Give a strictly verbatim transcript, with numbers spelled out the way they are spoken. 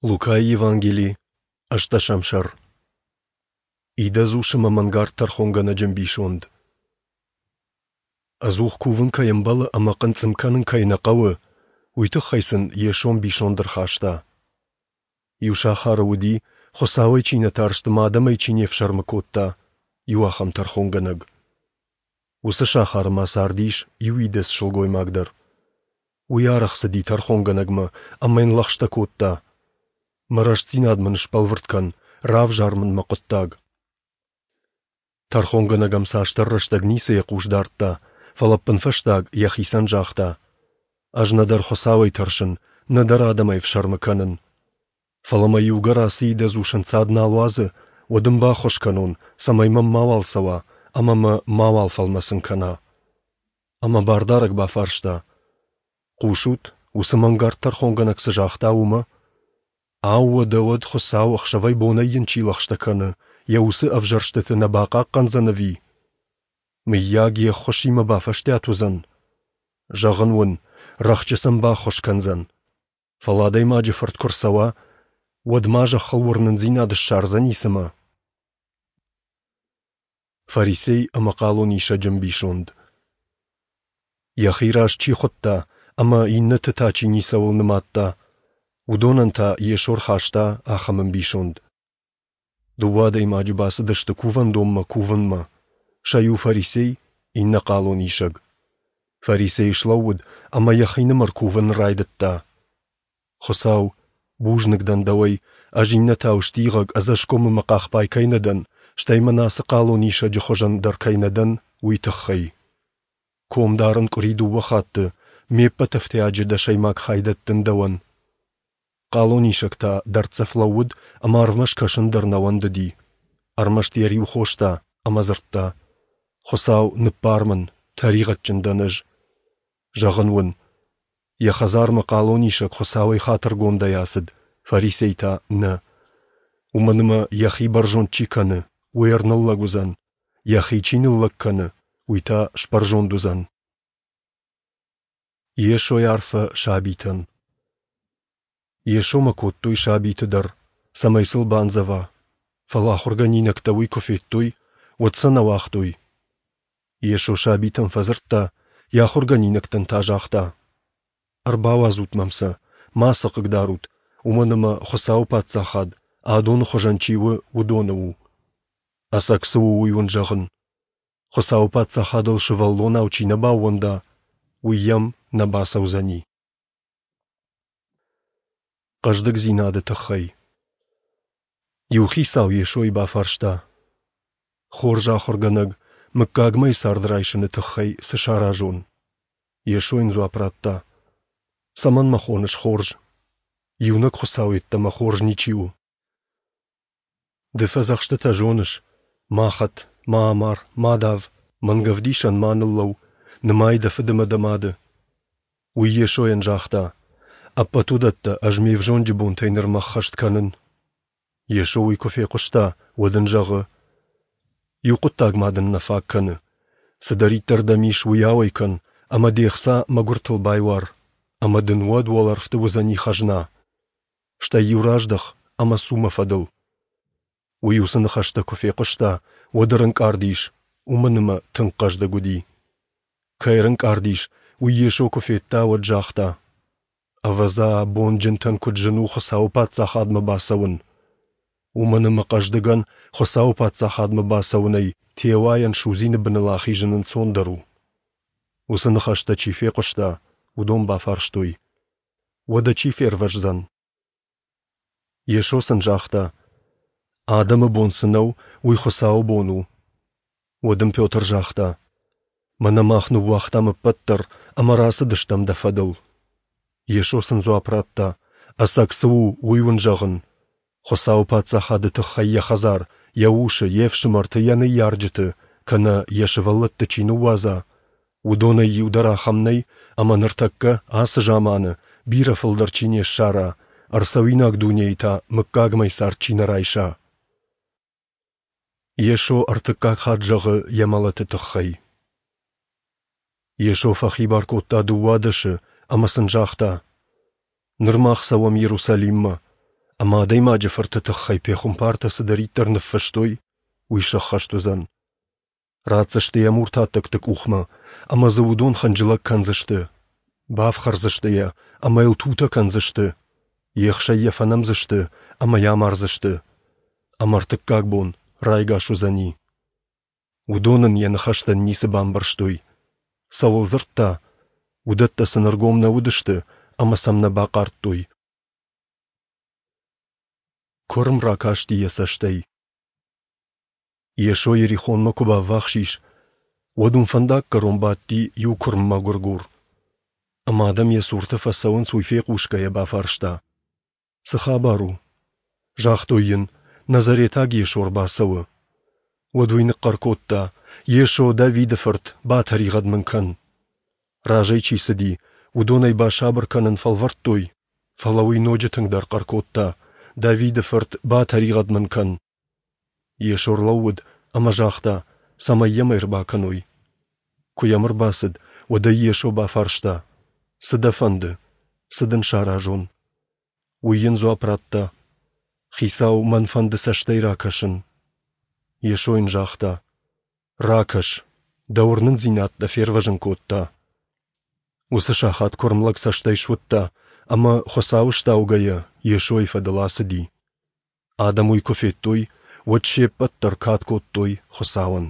Лукайы Евангели, ӕстдӕсӕм сӕр. Идӕдз ус ӕмӕ мӕнгард тӕрхонгӕнӕджы ӕмбисонд. Ӕдзух кувын кӕй ӕмбӕлы ӕмӕ хъынцъым кӕнын кӕй нӕ хъӕуы, уый тыххӕй сын Йесо ӕмбисонд ӕрхаста. Иу сахары уыди, Хуыцауӕй чи нӕ тарст ӕмӕ адӕмӕй чи не фсӕрмы кодта, иу ахӕм тӕрхонгӕнӕг. Уыцы сахары ма цардис иу идӕдз сылгоймаг дӕр. Уый арӕх цыди тӕрхонгӕнӕгмӕ ӕмӕ йын лӕгъстӕ кодта: «Мӕ рӕстдзинад мын сбӕлвырд кӕн, равзар мын мӕ хъуыддаг». Тӕрхонгӕнӕг ӕм цасдӕр рӕстӕг ницы йӕ хъус дардта, фӕлӕ ӕппынфӕстаг йӕхицӕн загъта: «Ӕз нӕдӕр Хуыцауӕй тӕрсын, нӕдӕр адӕмӕй ӕфсӕрмы кӕнын. Фӕлӕ мӕ иугӕр ацы идӕдз ус ӕнцад нал уадзы, уӕд ын баххуыс кӕнон, цӕмӕй мӕм мауал цӕуа ӕмӕ мӕ мауал фӕлмӕцын кӕна». Ӕмӕ Бардарӕг бафарста: «Хъусут, уыцы мӕнгард тӕрхонгӕнӕг цы загъта, уымӕ? Ау, уӕдӕ уӕд Хуыцау ӕхсӕвӕй-бонӕй йын чи лӕгъстӕ кӕны, йӕ уыцы ӕвзӕрстыты нӕ бахъахъхъӕндзӕн ӕви? Мыййаг, йе ххуысимӕ бафӕстиат уыдзӕн? Зӕгъын уын, рӕхджы сын баххуыс кӕндзӕн. Фӕлӕ Адӕймаджы Фырт куы рцӕуа, уӕд ма зӕххыл уырнындзинад ссардзӕни цымӕ?» Фарисей ӕмӕ хъалонисӕджы ӕмбисонд. Йӕхи раз чи хуыдта ӕмӕ иннӕты та чи ницӕуыл нымадта, уыдонӕн та Йесо рхаста ахӕм ӕмбисонд. Дыууӕ адӕймаджы бацыдысты кувӕндонмӕ кувынмӕ, сӕ иу фарисей, иннӕ хъалонисӕг. Фарисей слӕууыд ӕмӕ йӕхинымӕр кувын райдыдта: «Хуыцау, бузныг дӕн дӕуӕй, ӕз иннӕтау стигъӕг, ӕдзӕсгом ӕмӕ хъахбай кӕй нӕ дӕн, стӕй мӕн ацы хъалонисӕджы хуызӕн дӕр кӕй нӕ дӕн, уый тыххӕй. Ком дарын къуыри дыууӕ хатты, ме ппӕт ӕфтиаджы дӕсӕймаг хай дӕттын дӕуӕн». Хъалонисӕг та дӕрддзӕф лӕууыд ӕмӕ арвмӕ скӕсын дӕр нӕ уӕндыди. Ӕрмӕст йӕ риу хоста ӕмӕ дзырдта: «Хуыцау, ныббар мын, тӕригъӕдджын дӕн ӕз». Зӕгъын уын, йӕ хӕдзармӕ хъалонисӕг Хуыцауӕй хатыргондӕй ацыд, фарисей та нӕ. Уымӕн ӕмӕ йӕхи бӕрзонд чи кӕны, уый ӕрныллӕг уыдзӕн, йӕхи чи ныллӕг кӕны, уый та сбӕрзонд уыдзӕн. Йесойы арфӕ сабитӕн. Йесомӕ кодтой сабиты дӕр, цӕмӕй сыл бандзӕва, фӕлӕ ахуыргӕнинӕгтӕ уый куы федтой, уӕд сӕ нӕ уагътой. Йесо сабитӕм фӕдзырдта, йӕ ахуыргӕнинӕгтӕн та загъта: «Ӕрбауадзут мӕм сӕ, ма сӕ хъыгдарут, уымӕн ӕмӕ Хуыцауы Паддзахад, адоны хуызӕн чи у, уыдоны у. Ӕцӕг цы у, уый уын зӕгъын: Хуыцауы Паддзахадыл сывӕллонау чи нӕ баууӕнда, уый йӕм нӕ бацӕудзӕни». Хъӕздыгдзинады тыххӕй. Иу хицау Йесойы бафарста: «Хорз ахуыргӕнӕг, мыггагмӕйы цард райсыны тыххӕй цы саразон?» Йесо йын дзуапп радта: «Цӕмӕн мӕ хоныс хорз? Иунӕг Хуыцау йеддӕмӕ хорз ничи у. Ды фӕдзӕхстытӕ зоныс: ма хӕт, ма амар, ма дав, мӕнгӕвдисӕн ма ныллӕуу, нымай дӕ фыд ӕмӕ дӕ мады». Уый Йесойӕн загъта: «Ӕппӕт уыдӕттӕ ӕз ме взонджы бонтӕй нырмӕ ӕххӕст кӕнын». Йесо уый куы фехъуыста, уӕд ын зӕгъы: «Иу хъуыддаг ма дын нӕ фаг кӕны. Цыдӕриддӕр дӕм ис, уый ауӕй кӕн, ӕмӕ де хца мӕгуыртыл байуар, ӕмӕ дын уӕд уӕлӕрвты уыдзӕни хӕзна. Стӕй-иу раздӕх ӕмӕ цу мӕ фӕдыл». Уый уыцы ныхӕстӕ куы фехъуыста, уӕд ӕрӕнкъард ис, уымӕн ӕмӕ тынг хъӕздыг уыди. Кӕй ӕрӕнкъард ис, уый Йесо куы федта, уӕд загъта: «Ӕвӕдза, бонджынтӕн куыд зын у Хуыцауы Паддзахадмӕ бацӕуын! Уымӕн ӕмӕ хъӕздыгӕн Хуыцауы Паддзахадмӕ бацӕуынӕй теуайӕн судзины быныл ахизын ӕнцондӕр у». Уыцы ныхӕстӕ чи фехъуыста, уыдон бафарстой: «Уӕдӕ чи фервӕздзӕн?» Йесо сын загъта: «Адӕмы бон цы нӕу, уый Хуыцауы бон у». Уӕд ын Петр загъта: «Мӕнӕ мах ныууагътам ӕппӕт дӕр ӕмӕ рацыдыстӕм дӕ фӕдыл». Йесо сын дзуапп радта: «Ӕцӕг цы у, уый уын зӕгъын: Хуыцауы Паддзахады тыххӕй йӕ хӕдзар, йӕ усы, йе фсымӕрты, йӕ ныййарджыты, кӕнӕ йӕ сывӕллӕтты чи ныууадза, уыдонӕй иу дӕр ахӕм нӕй, ӕмӕ ныртӕккӕ, ацы заманы, бирӕ фылдӕр чи не ссара, ӕрцӕуинаг дунейы та мыггагмӕйы цард чи нӕ райса». Йесо ӕртыккаг хатт зӕгъы йӕ мӕлӕты тыххӕй. Йесо фӕхибар кодта дыууадӕсы ӕмӕ сын загъта: «Ныр мах цӕуӕм Иерусалиммӕ, Ӕмӕ Адӕймаджы Фырты тыххӕй пехуымпартӕ цыдӕриддӕр ныффыстой, уый сӕххӕст уыдзӕн. Ратдзысты йӕ муртаттӕгты къухмӕ, ӕмӕ дзы уыдон хынджылӕг кӕндзысты, бафхӕрдзысты йӕ ӕмӕ йыл тутӕ кӕндзысты, ехсӕй йӕ фӕнӕмдзысты ӕмӕ йӕ амардзысты. Ӕмӕ ӕртыккаг бон райгас уыдзӕни. Уыдон ын йӕ ныхӕстӕн ницы бамбӕрстой. Цӕуыл дзырдта, уыдӕттӕ сын ӕргом нӕ уыдысты ӕмӕ сӕм нӕ бахъардтой. Куырм ракасти йӕ цӕстӕй. Йесо Иерихонмӕ куы баввахс ис, уӕд уым фӕндаггӕрон бадти иу куырм мӕгуыргур. Ӕмӕ адӕм йӕ цурты фӕцӕуынц, уый фехъусгӕйӕ бафарста: Цы хабар у? Загътой йын: Назаретаг Йесо ӕрбацӕуы. Уӕд уый ныхъхъӕр кодта: Йесо, Давиды фырт, батӕригъӕд мын кӕн! Разӕй чи цыди, уыдон ӕй басабыр кӕнын фӕлвӕрдтой, фӕлӕ уый ноджы тынгдӕр хъӕр кодта: Давиды фырт, батӕригъӕд мын кӕн! Йесо ӕрлӕууыд ӕмӕ загъта, цӕмӕй йӕм ӕрбакӕной. Куы йӕм ӕрбацыд, уӕд ӕй Йесо бафарста: Цы дӕ фӕнды? Цы дын саразон? Уый йын дзуапп радта: Хицау, мӕн фӕнды цӕстӕй ракӕсын. Йесо йын загъта: Ракӕс, дӕ уырнындзинад дӕ фервӕзын кодта. Уыцы сахат куырм лӕг цӕстӕй суыдта ӕмӕ, Хуыцауы стаугӕйӕ, Йесойы фӕдыл ацыди. Адӕм уый куы федтой, уӕд се ппӕт дӕр кад кодтой Хуыцауӕн.